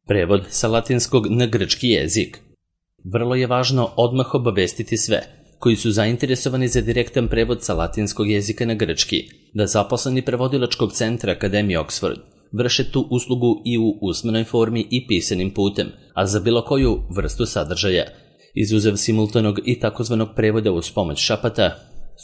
Prevod sa latinskog na grčki jezik. Vrlo je važno odmah obavestiti sve koji su zainteresovani za direktan prevod sa latinskog jezika na grčki, da zaposleni prevodilačkog centra Akademije Oxford vrše tu uslugu i u usmenoj formi i pisanim putem, a za bilo koju vrstu sadržaja, izuzev simultanog i takozvanog prevoda uz pomoć šapata,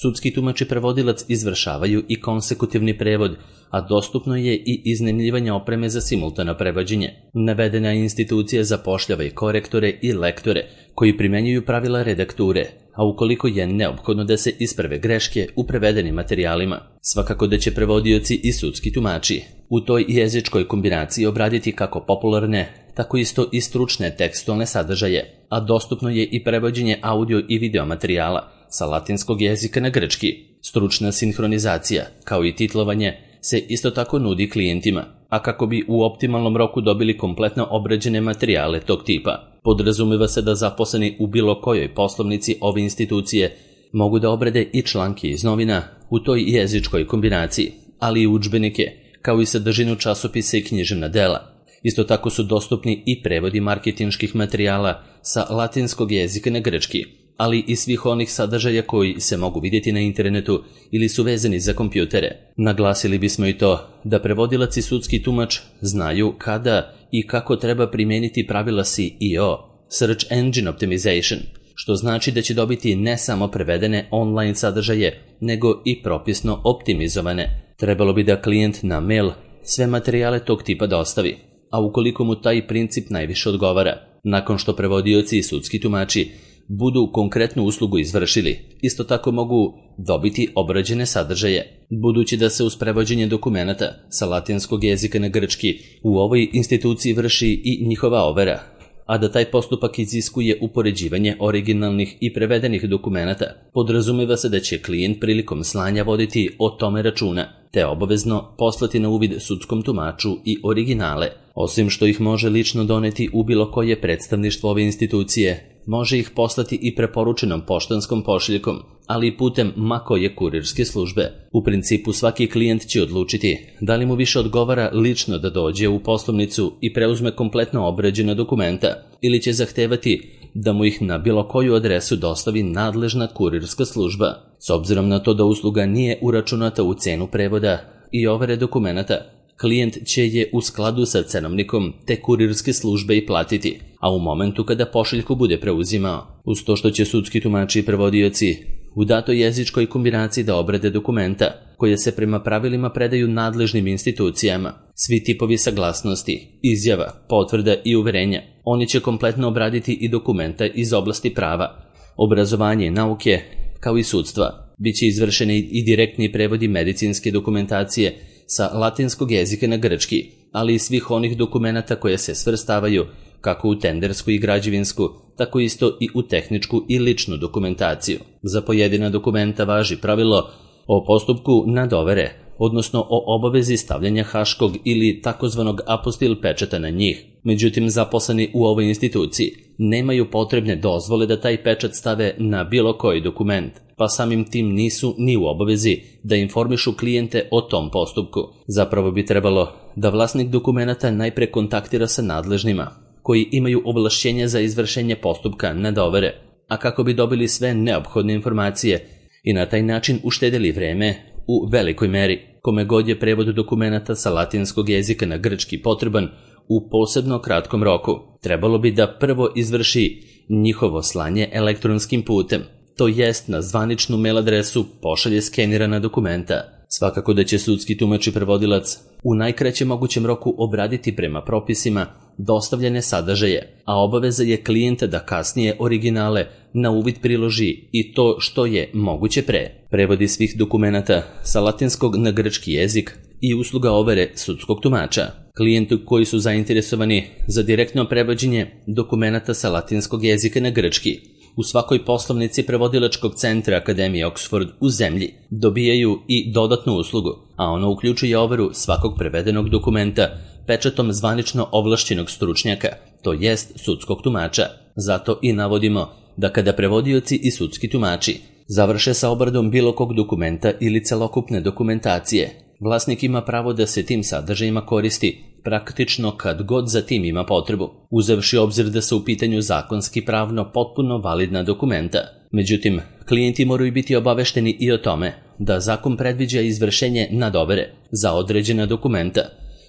sudski tumač i prevodilac izvršavaju i konsekutivni prevod, a dostupno je i iznajmljivanje opreme za simultano prevođenje. Navedena institucija zapošljava i korektore i lektore koji primenjuju pravila redakture, a ukoliko je neophodno da se isprave greške u prevedenim materijalima. Svakako da će prevodioci i sudski tumači u toj jezičkoj kombinaciji obraditi kako popularne, tako isto i stručne tekstualne sadržaje, a dostupno je i prevođenje audio i video materijala sa latinskog jezika na grčki. Stručna sinhronizacija, kao i titlovanje, se isto tako nudi klijentima, a kako bi u optimalnom roku dobili kompletno obrađene materijale tog tipa, podrazumeva se da zaposleni u bilo kojoj poslovnici ove institucije mogu da obrade i članke iz novina u toj jezičkoj kombinaciji, ali i udžbenike, kao i sadržinu časopisa i književna dela. Isto tako su dostupni i prevodi marketinških materijala sa latinskog jezika na grčki, ali i svih onih sadržaja koji se mogu vidjeti na internetu ili su vezani za kompjutere. Naglasili bismo i to da prevodilac i sudski tumač znaju kada i kako treba primijeniti pravila SEO, Search Engine Optimization, što znači da će dobiti ne samo prevedene online sadržaje, nego i propisno optimizovane. Trebalo bi da klijent na mail sve materijale tog tipa dostavi, a ukoliko mu taj princip najviše odgovara, nakon što prevodioci i sudski tumači budu konkretnu uslugu izvršili, isto tako mogu dobiti obrađene sadržaje. Budući da se uz prevođenje dokumenata sa latinskog jezika na grčki u ovoj instituciji vrši i njihova overa, a da taj postupak iziskuje upoređivanje originalnih i prevedenih dokumenata, podrazumeva se da će klijent prilikom slanja voditi o tome računa, te obavezno poslati na uvid sudskom tumaču i originale. Osim što ih može lično doneti u bilo koje predstavništvo ove institucije, može ih poslati i preporučenom poštanskom pošiljkom, ali i putem ma koje kurirske službe. U principu svaki klijent će odlučiti da li mu više odgovara lično da dođe u poslovnicu i preuzme kompletno obrađena dokumenta, ili će zahtevati da mu ih na bilo koju adresu dostavi nadležna kurirska služba. S obzirom na to da usluga nije uračunata u cenu prevoda i overe dokumenata, klijent će je u skladu sa cenovnikom te kurirske službe i platiti, a u momentu kada pošiljku bude preuzimao. Uz to što će sudski tumači i prevodioci u datoj jezičkoj kombinaciji da obrade dokumenta, koje se prema pravilima predaju nadležnim institucijama, svi tipovi saglasnosti, izjava, potvrda i uverenja, oni će kompletno obraditi i dokumenta iz oblasti prava, obrazovanja i nauke, kao i sudstva. Biće izvršeni i direktni prevodi medicinske dokumentacije sa latinskog jezika na grčki, ali i svih onih dokumenata koje se svrstavaju kako u tendersku i građevinsku, tako isto i u tehničku i ličnu dokumentaciju. Za pojedina dokumenta važi pravilo o postupku nadovere, odnosno o obavezi stavljanja haškog ili takozvanog apostil pečata na njih. Međutim, zaposleni u ovoj instituciji nemaju potrebne dozvole da taj pečat stave na bilo koji dokument, pa samim tim nisu ni u obavezi da informišu klijente o tom postupku. Zapravo bi trebalo da vlasnik dokumenata najpre kontaktira sa nadležnima, koji imaju ovlašćenje za izvršenje postupka nadovere, a kako bi dobili sve neophodne informacije i na taj način uštedili vreme u velikoj meri. Kome god je prevod dokumenata sa latinskog jezika na grčki potreban u posebno kratkom roku, trebalo bi da prvo izvrši njihovo slanje elektronskim putem, to jest na zvaničnu mail adresu pošalje skenirana dokumenta. Svakako da će sudski tumač i prevodilac u najkraćem mogućem roku obraditi prema propisima dostavljene sadržaje, a obaveza je klijenta da kasnije originale na uvid priloži i to što je moguće pre. Prevodi svih dokumenata sa latinskog na grčki jezik i usluga overe sudskog tumača. Klijenti koji su zainteresovani za direktno prevođenje dokumenata sa latinskog jezika na grčki u svakoj poslovnici prevodilačkog centra Akademije Oxford u zemlji dobijaju i dodatnu uslugu, a ono uključuje overu svakog prevedenog dokumenta pečatom zvanično ovlašćenog stručnjaka, to jest sudskog tumača. Zato i navodimo da kada prevodioci i sudski tumači završe sa obradom bilo kog dokumenta ili celokupne dokumentacije, vlasnik ima pravo da se tim sadržajima koristi praktično kad god za tim ima potrebu, uzevši obzir da su u pitanju zakonski pravno potpuno validna dokumenta. Međutim, klijenti moraju biti obavešteni i o tome da zakon predviđa izvršenje nadovere za određena dokumenta,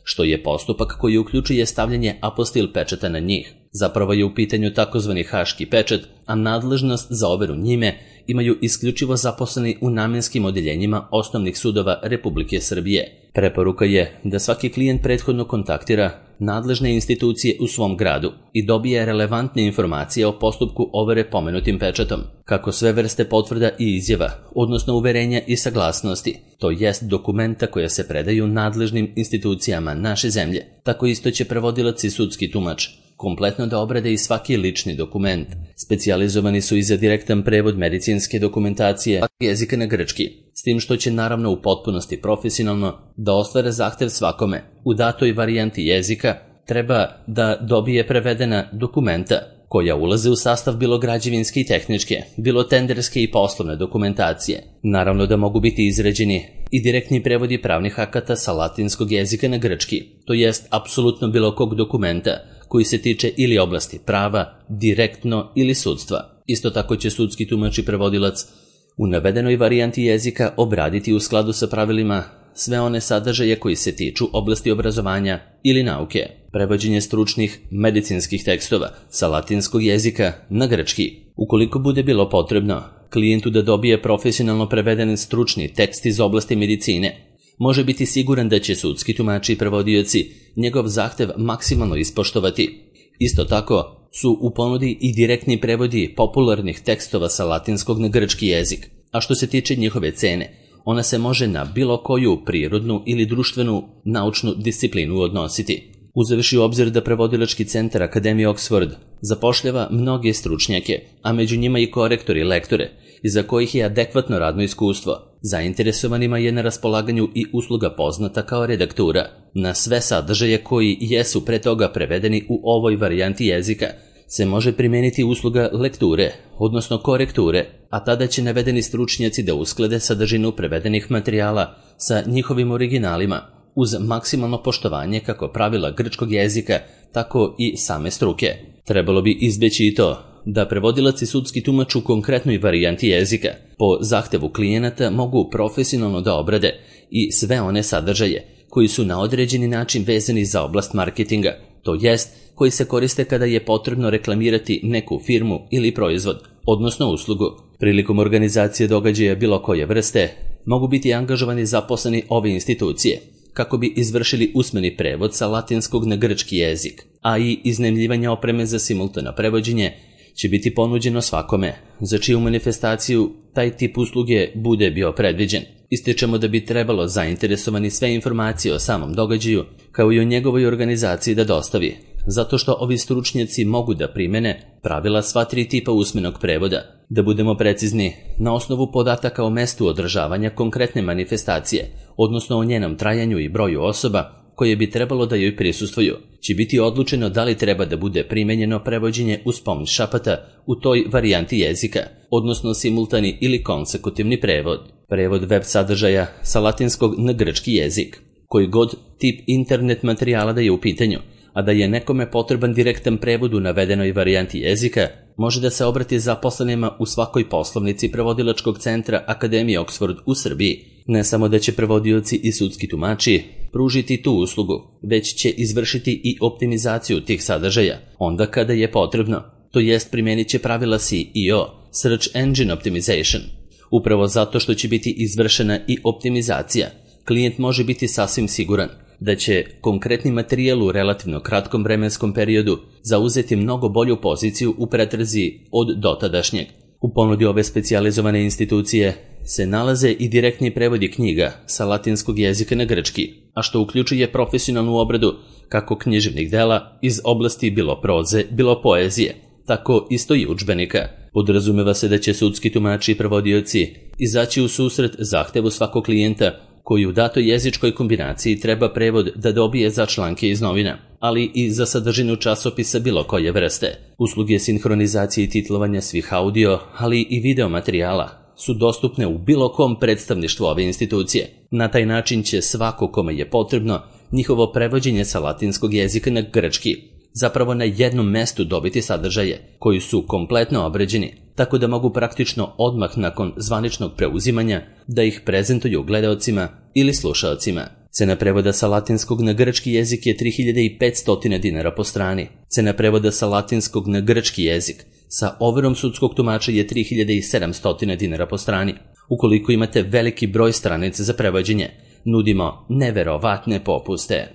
što je postupak koji uključuje stavljanje apostil pečata na njih. Zapravo je u pitanju takozvani haški pečat, a nadležnost za overu njime imaju isključivo zaposleni u namenskim odeljenjima osnovnih sudova Republike Srbije. Preporuka je da svaki klijent prethodno kontaktira nadležne institucije u svom gradu i dobije relevantne informacije o postupku overe pomenutim pečatom, kako sve vrste potvrda i izjava, odnosno uverenja i saglasnosti, to jest dokumenta koja se predaju nadležnim institucijama naše zemlje. Tako isto će prevodilac i sudski tumač kompletno da obrade i svaki lični dokument. Specijalizovani su i za direktan prevod medicinske dokumentacije jezika na grčki, s tim što će naravno u potpunosti profesionalno da ostvare zahtev svakome. U datoj varijanti jezika treba da dobije prevedena dokumenta koja ulaze u sastav bilo građevinske i tehničke, bilo tenderske i poslovne dokumentacije. Naravno da mogu biti izrađeni i direktni prevodi pravnih akata sa latinskog jezika na grčki, to jest apsolutno bilo kog dokumenta koji se tiče ili oblasti prava, direktno ili sudstva. Isto tako će sudski tumač i prevodilac u navedenoj varijanti jezika obraditi u skladu sa pravilima sve one sadržaje koji se tiču oblasti obrazovanja ili nauke. Prevođenje stručnih medicinskih tekstova sa latinskog jezika na grčki. Ukoliko bude bilo potrebno klijentu da dobije profesionalno preveden stručni tekst iz oblasti medicine, može biti siguran da će sudski tumači i prevodioci njegov zahtev maksimalno ispoštovati. Isto tako su u ponudi i direktni prevodi popularnih tekstova sa latinskog na grčki jezik, a što se tiče njihove cene, ona se može na bilo koju prirodnu ili društvenu naučnu disciplinu odnositi. Uzevši u obzir da prevodilački centar Akademije Oxford zapošljava mnoge stručnjake, a među njima i korektori i lektore, iza kojih je adekvatno radno iskustvo, zainteresovanima je na raspolaganju i usluga poznata kao redaktura. Na sve sadržaje koji jesu pre toga prevedeni u ovoj varijanti jezika se može primijeniti usluga lekture, odnosno korekture, a tada će navedeni stručnjaci da usklade sadržinu prevedenih materijala sa njihovim originalima, uz maksimalno poštovanje kako pravila grčkog jezika, tako i same struke. Trebalo bi izbjeći i to da prevodilac i sudski tumač u konkretnoj varijanti jezika po zahtevu klijenata mogu profesionalno da obrade i sve one sadržaje koji su na određeni način vezani za oblast marketinga, to jest koji se koriste kada je potrebno reklamirati neku firmu ili proizvod, odnosno uslugu. Prilikom organizacije događaja bilo koje vrste mogu biti angažovani zaposleni ove institucije kako bi izvršili usmeni prevod sa latinskog na grčki jezik, a i iznajmljivanje opreme za simultano prevođenje će biti ponuđeno svakome, za čiju manifestaciju taj tip usluge bude bio predviđen. Ističemo da bi trebalo zainteresovani sve informacije o samom događaju, kao i o njegovoj organizaciji da dostavi, zato što ovi stručnjaci mogu da primene pravila sva tri tipa usmenog prevoda. Da budemo precizni, na osnovu podataka o mestu održavanja konkretne manifestacije, odnosno o njenom trajanju i broju osoba koje bi trebalo da joj prisustvuju, će biti odlučeno da li treba da bude primenjeno prevođenje uz pomoć šapata u toj varijanti jezika, odnosno simultani ili konsekutivni prevod. Prevod web sadržaja sa latinskog na grčki jezik, koji god tip internet materijala da je u pitanju, a da je nekome potreban direktan prevod u navedenoj varijanti jezika, može da se obrati zaposlenima u svakoj poslovnici prevodilačkog centra Akademije Oxford u Srbiji. Ne samo da će prevodioci i sudski tumači pružiti tu uslugu, već će izvršiti i optimizaciju tih sadržaja, onda kada je potrebno, to jest primijenit će pravila SEO, Search Engine Optimization. Upravo zato što će biti izvršena i optimizacija, klijent može biti sasvim siguran da će konkretni materijal u relativno kratkom vremenskom periodu zauzeti mnogo bolju poziciju u pretrazi od dotadašnjeg. U ponudi ove specijalizovane institucije se nalaze i direktni prevodi knjiga sa latinskog jezika na grčki, a što uključuje profesionalnu obradu kako književnih dela iz oblasti bilo proze, bilo poezije, tako isto i udžbenika. Podrazumeva se da će sudski tumači i prevodioci izaći u susret zahtevu svakog klijenta koji u datoj jezičkoj kombinaciji treba prevod da dobije za članke iz novina, ali i za sadržinu časopisa bilo koje vrste. Usluge sinhronizacije i titlovanja svih audio, ali i video materijala su dostupne u bilo kom predstavništvu ove institucije. Na taj način će svako kome je potrebno njihovo prevođenje sa latinskog jezika na grčki, zapravo na jednom mestu dobiti sadržaje koji su kompletno obređeni, tako da mogu praktično odmah nakon zvaničnog preuzimanja da ih prezentuju gledaocima ili slušaocima. Cena prevoda sa latinskog na grčki jezik je 3500 dinara po strani. Cena prevoda sa latinskog na grčki jezik sa overom sudskog tumača je 3700 dinara po strani. Ukoliko imate veliki broj stranica za prevođenje, nudimo neverovatne popuste.